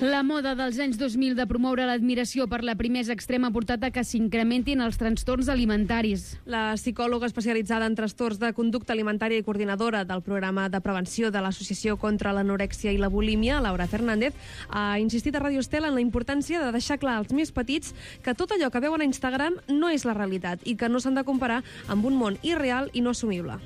La moda dels anys 2000 de promoure l'admiració per la primesa extrema ha portat a que s'incrementin els trastorns alimentaris. La psicòloga especialitzada en trastorns de conducta alimentària i coordinadora del programa de prevenció de l'Associació contra l'Anorèxia i la Bulímia, Laura Fernández, ha insistit a Radio Estel en la importància de deixar clar als més petits que tot allò que veuen a Instagram no és la realitat i que no s'han de comparar amb un món irreal i no assumible.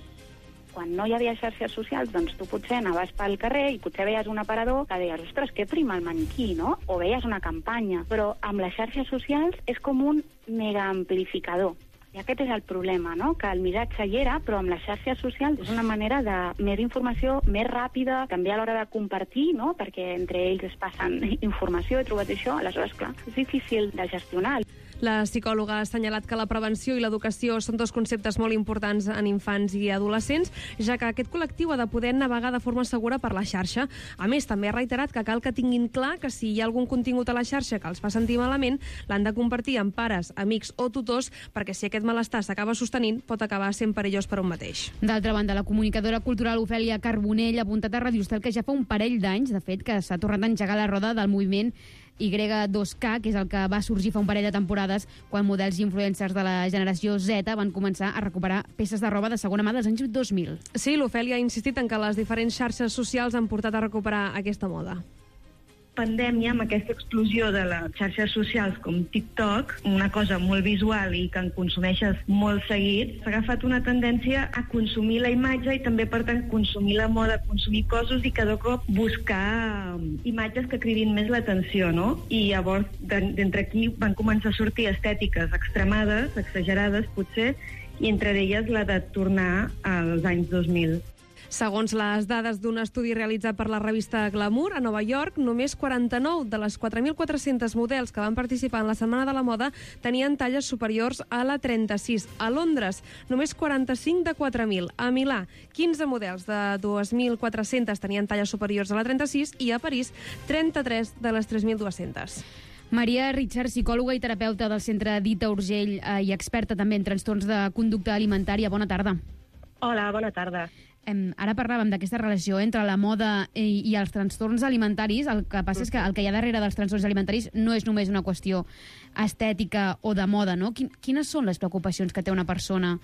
Quan no hi havia xarxes socials, doncs tu potser anaves pel carrer i potser veies un aparador que deies, ostres, que prima el maniquí, no? O veies una campanya. Però amb les xarxes socials és com un mega amplificador. I aquest és el problema, no? Que el missatge hi era, però amb les xarxes socials és una manera de més informació, més ràpida, també a l'hora de compartir, no? Perquè entre ells es passen informació, he trobat això, aleshores, clar, és difícil de gestionar. La psicòloga ha assenyalat que la prevenció i l'educació són dos conceptes molt importants en infants i adolescents, ja que aquest col·lectiu ha de poder navegar de forma segura per la xarxa. A més, també ha reiterat que cal que tinguin clar que si hi ha algun contingut a la xarxa que els fa sentir malament, l'han de compartir amb pares, amics o tutors, perquè si aquest malestar s'acaba sostenint, pot acabar sent perillós per un mateix. D'altra banda, la comunicadora cultural Ofèlia Carbonell ha apuntat a Radio Estel que ja fa un parell d'anys, de fet, que s'ha tornat a engegar la roda del moviment Y2K, que és el que va sorgir fa un parell de temporades quan models i influencers de la generació Z van començar a recuperar peces de roba de segona mà dels anys 2000. Sí, l'Ofèlia ha insistit en que les diferents xarxes socials han portat a recuperar aquesta moda. Pandèmia, amb aquesta explosió de les xarxes socials com TikTok, una cosa molt visual i que en consumeixes molt seguit, s'ha agafat una tendència a consumir la imatge i també, per tant, consumir la moda, consumir coses i cada cop buscar imatges que cridin més l'atenció, no? I llavors, d'entre aquí van començar a sortir estètiques extremades, exagerades, potser, i entre elles la de tornar als anys 2000. Segons les dades d'un estudi realitzat per la revista Glamour, a Nova York, només 49 de les 4.400 models que van participar en la Setmana de la Moda tenien talles superiors a la 36. A Londres, només 45 de 4.000. A Milà, 15 models de 2.400 tenien talles superiors a la 36 i a París, 33 de les 3.200. Maria Richard, psicòloga i terapeuta del Centre Dita Urgell i experta també en trastorns de conducta alimentària. Bona tarda. Hola, bona tarda. Ara parlàvem d'aquesta relació entre la moda i els trastorns alimentaris. El que passa és que el que hi ha darrere dels trastorns alimentaris no és només una qüestió estètica o de moda, no? Quines són les preocupacions que té una persona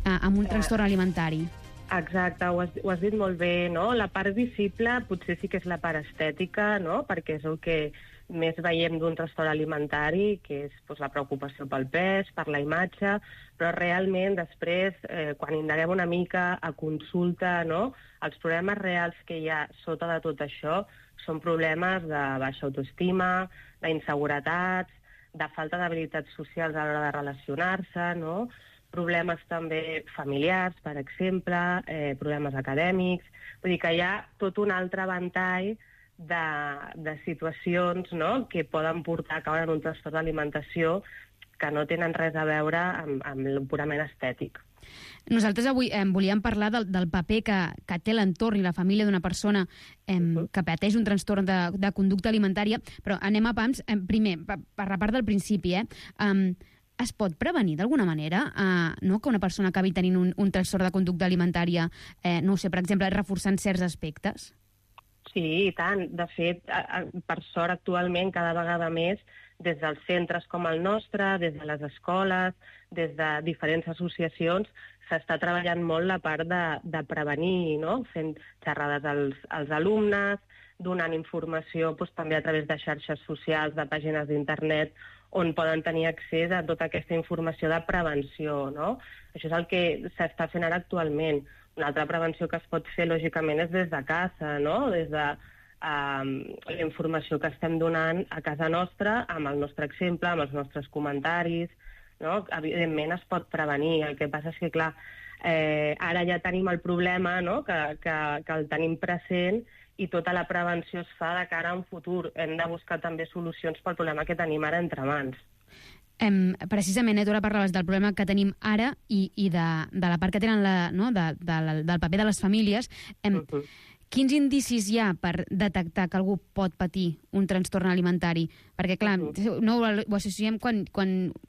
amb un trastorn alimentari? Exacte, ho has dit molt bé, no? La part visible potser sí que és la part estètica, no? Perquè és el que més veiem d'un trastorn alimentari, que és la preocupació pel pes, per la imatge, però realment després, quan indaguem una mica a consulta, no? Els problemes reals que hi ha sota de tot això són problemes de baixa autoestima, d'inseguretats, de falta d'habilitats socials a l'hora de relacionar-se, no? Problemes també familiars, per exemple, problemes acadèmics. Vull dir que hi ha tot un altre ventall de situacions, no?, que poden portar a caure en un trastorn d'alimentació que no tenen res a veure amb el purament estètic. Nosaltres avui volíem parlar del paper que té l'entorn i la família d'una persona que pateix un trastorn de conducta alimentària, però anem a pams. Primer, per la part del principi, es pot prevenir d'alguna manera no, que una persona acabi tenint un trastorn de conducta alimentària, no ho sé, per exemple, reforçant certs aspectes? Sí, i tant. De fet, per sort, actualment, cada vegada més, des dels centres com el nostre, des de les escoles, des de diferents associacions, s'està treballant molt la part de prevenir, no? Fent xerrades als alumnes, donant informació també a través de xarxes socials, de pàgines d'internet, on poden tenir accés a tota aquesta informació de prevenció, no? Això és el que s'està fent ara actualment. Una altra prevenció que es pot fer, lògicament, és des de casa, no? Des de la informació que estem donant a casa nostra, amb el nostre exemple, amb els nostres comentaris, no? Evidentment es pot prevenir. El que passa és que, clar, ara ja tenim el problema, no? que el tenim present, i tota la prevenció es fa de cara a un futur. Hem de buscar també solucions pel problema que tenim ara entre mans. Precisament, tu ara parlaves del problema que tenim ara i de la part que tenen del paper de les famílies. Quins indicis hi ha per detectar que algú pot patir un trastorn alimentari? Perquè, clar, no ho associem quan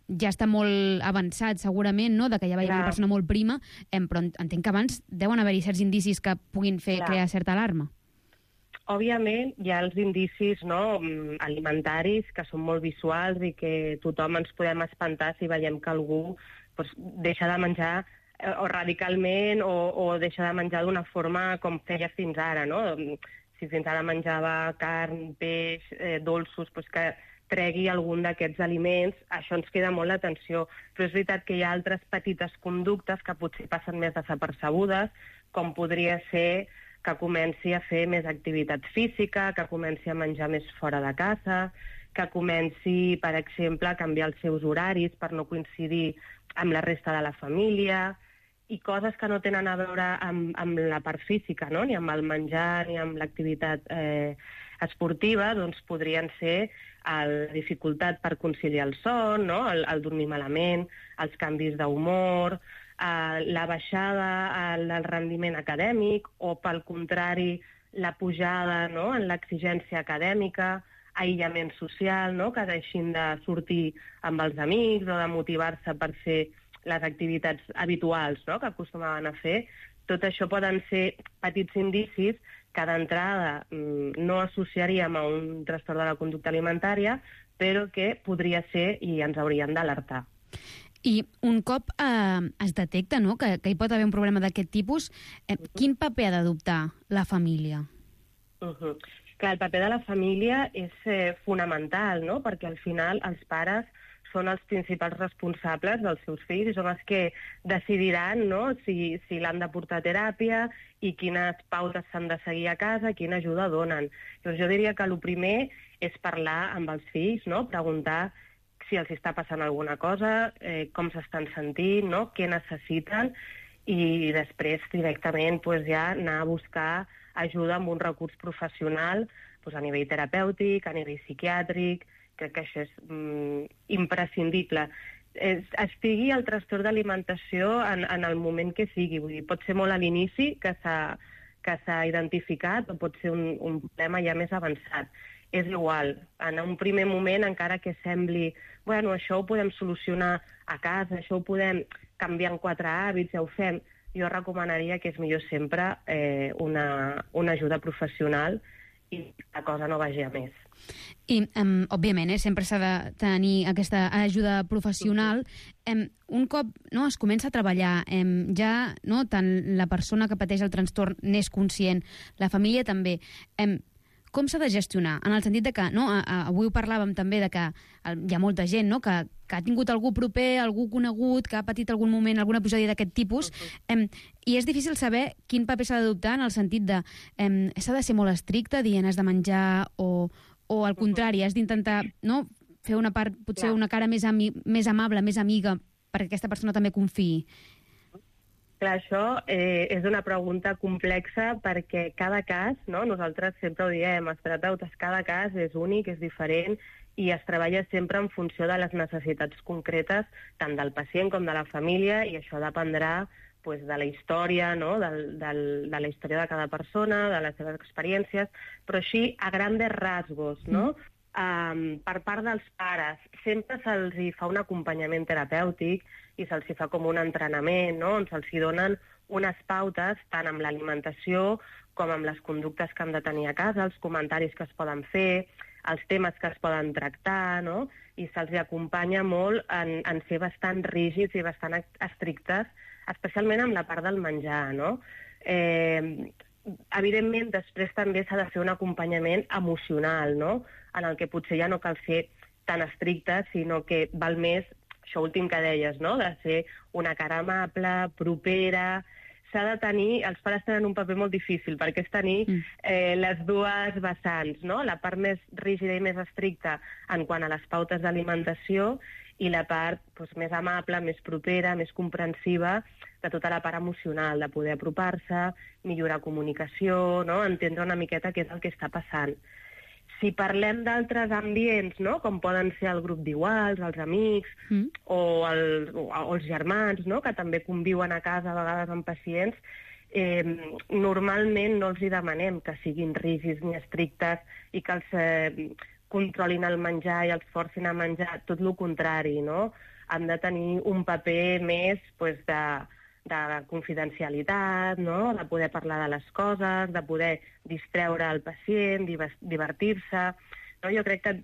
ja està molt avançat, segurament, no?, de que ja veiem una persona molt prima, però entenc que abans deuen haver-hi certs indicis que puguin crear certa alarma. òbviament, hi ha els indicis, no, alimentaris que són molt visuals i que tothom ens podem espantar si veiem que algú doncs, deixa de menjar o radicalment o deixa de menjar d'una forma com feia fins ara, no? Si fins ara menjava carn, peix, dolços, doncs que tregui algun d'aquests aliments, això ens crida molt l'atenció. Però és veritat que hi ha altres petites conductes que potser passen més desapercebudes, com podria ser que comenci a fer més activitat física, que comenci a menjar més fora de casa, que comenci, per exemple, a canviar els seus horaris per no coincidir amb la resta de la família, i coses que no tenen a veure amb la part física, no? Ni amb el menjar ni amb l'activitat esportiva, doncs podrien ser la dificultat per conciliar el son, no? El dormir malament, els canvis d'humor, la baixada del rendiment acadèmic o, pel contrari, la pujada, no? En l'exigència acadèmica, aïllament social, no? Que deixin de sortir amb els amics o de motivar-se per fer les activitats habituals, no? Que acostumaven a fer. Tot això poden ser petits indicis que d'entrada no associaríem a un trastorn de la conducta alimentària, però que podria ser i ens haurien d'alertar. I un cop es detecta, no?, que hi pot haver un problema d'aquest tipus, quin paper ha d'adoptar la família? Clar, el paper de la família és fonamental, no?, perquè al final els pares són els principals responsables dels seus fills i són els que decidiran, no?, si l'han de portar a teràpia i quines pautes s'han de seguir a casa, quina ajuda donen. Llavors, jo diria que el primer és parlar amb els fills, no?, preguntar si els està passant alguna cosa, com s'estan sentint, no?, què necessiten, i després directament ja anar a buscar ajuda amb un recurs professional a nivell terapèutic, a nivell psiquiàtric. Crec que això és imprescindible. Estigui el trastorn d'alimentació en el moment que sigui. Vull dir, pot ser molt a l'inici que s'ha identificat o pot ser un problema ja més avançat. És igual. En un primer moment, encara que sembli bueno, això ho podem solucionar a casa, això ho podem canviar en 4 hàbits, ja ho fem, jo recomanaria que és millor sempre una ajuda professional i la cosa no vagi a més. I, òbviament, sempre s'ha de tenir aquesta ajuda professional. Un cop es comença a treballar, ja tant la persona que pateix el trastorn n'és conscient, la família també, com s'ha de gestionar? En el sentit de que, avui ho parlàvem també de que hi ha molta gent que ha tingut algú proper, algú conegut, que ha patit algun moment, alguna episodi d'aquest tipus, i és difícil saber quin paper s'ha d'adoptar en el sentit de s'ha de ser molt estricte, dient has de menjar, o al contrari, has d'intentar fer una part, potser una cara més amable, més amiga, perquè aquesta persona també confiï. Clar, això és una pregunta complexa perquè cada cas, nosaltres sempre ho diem, els terapeutes, cada cas és únic, és diferent i es treballa sempre en funció de les necessitats concretes tant del pacient com de la família i això dependrà de la història, de la història de cada persona, de les seves experiències, però així a grandes rasgos, per part dels pares, sempre se'ls fa un acompanyament terapèutic i se'ls fa com un entrenament, on se'ls donen unes pautes tant amb l'alimentació com amb les conductes que han de tenir a casa, els comentaris que es poden fer, els temes que es poden tractar, i se'ls acompanya molt en ser bastant rígids i bastant estrictes, especialment amb la part del menjar, Evidentment, després també s'ha de fer un acompanyament emocional, en el que potser ja no cal ser tan estricte, sinó que val més, això últim que deies, de ser una cara amable, propera. S'ha de tenir, els pares tenen un paper molt difícil, perquè és tenir les dues vessants, la part més rígida i més estricta en quant a les pautes d'alimentació i la part més amable, més propera, més comprensiva de tota la part emocional, de poder apropar-se, millorar comunicació, entendre una miqueta què és el que està passant. Si parlem d'altres ambients, com poden ser el grup d'iguals, els amics o els germans, que també conviuen a casa a vegades amb pacients, normalment no els hi demanem que siguin rígids ni estrictes i que els controlin el menjar i els forcin a menjar, tot el contrari, Han de tenir un paper més confidencialitat, no? De poder parlar de les coses, de poder distreure el pacient, divertir-se. No? Jo crec que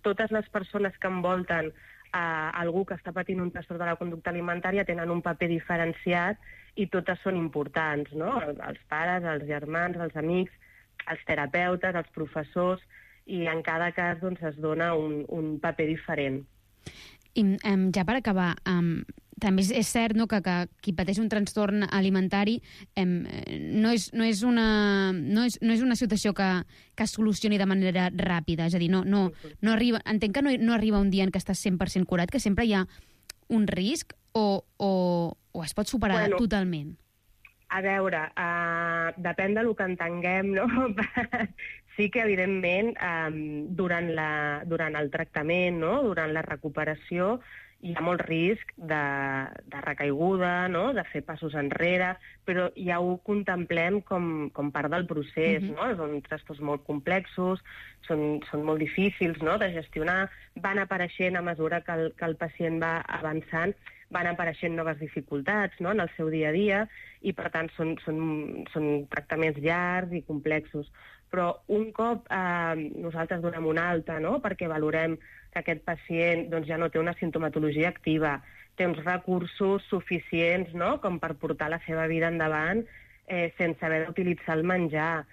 totes les persones que envolten algú que està patint un trastorn de la conducta alimentària tenen un paper diferenciat i totes són importants, no? Els pares, els germans, els amics, els terapeutes, els professors, i en cada cas doncs, es dona un paper diferent. I ja per acabar, també és cert, no, que qui pateix un trastorn alimentari no és una situació que es solucioni de manera ràpida, és a dir, no arriba, entenc que no arriba un dia en què estàs 100% curat, que sempre hi ha un risc o es pot superar totalment? A veure, depèn del que entenguem, no? Sí que, evidentment, durant el tractament, no? Durant la recuperació, hi ha molt risc de recaiguda, no? De fer passos enrere, però ja ho contemplem com part del procés, no? Són trastorns molt complexos, són molt difícils, no? De gestionar, van apareixent a mesura que el pacient va avançant, van apareixent noves dificultats, no? En el seu dia a dia, i per tant són tractaments llargs i complexos. Però un cop nosaltres donem una alta, no? Perquè valorem que aquest pacient doncs, ja no té una sintomatologia activa, té uns recursos suficients, no? Com per portar la seva vida endavant sense haver d'utilitzar el menjar,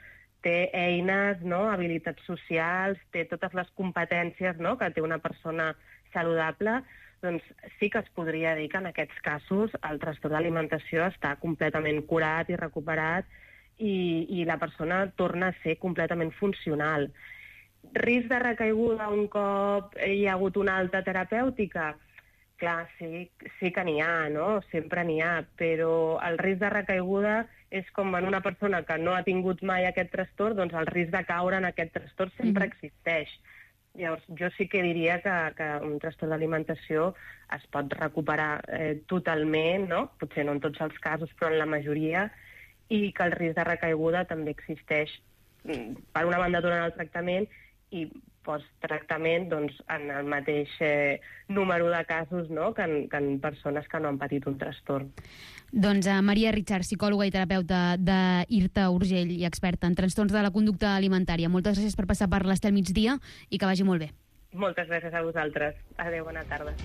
té eines, no? Habilitats socials, té totes les competències, no? Que té una persona saludable, doncs sí que es podria dir que en aquests casos el trastorn d'alimentació està completament curat i recuperat i la persona torna a ser completament funcional. Risc de recaiguda un cop hi ha hagut una alta terapèutica? Clar, sí que n'hi ha, no? Sempre n'hi ha, però el risc de recaiguda és com en una persona que no ha tingut mai aquest trastorn, doncs el risc de caure en aquest trastorn sempre existeix. Llavors, jo sí que diria que un trastorn d'alimentació es pot recuperar totalment, no? Potser no en tots els casos, però en la majoria, i que el risc de recaiguda també existeix, per una banda, durant el tractament i post-tractament doncs, en el mateix número de casos, no? que en persones que no han patit un trastorn. Doncs Maria Richard, psicòloga i terapeuta d'IRTA Urgell i experta en trastorns de la conducta alimentària. Moltes gràcies per passar per l'Estel Migdia i que vagi molt bé. Moltes gràcies a vosaltres. Adéu, bona tarda.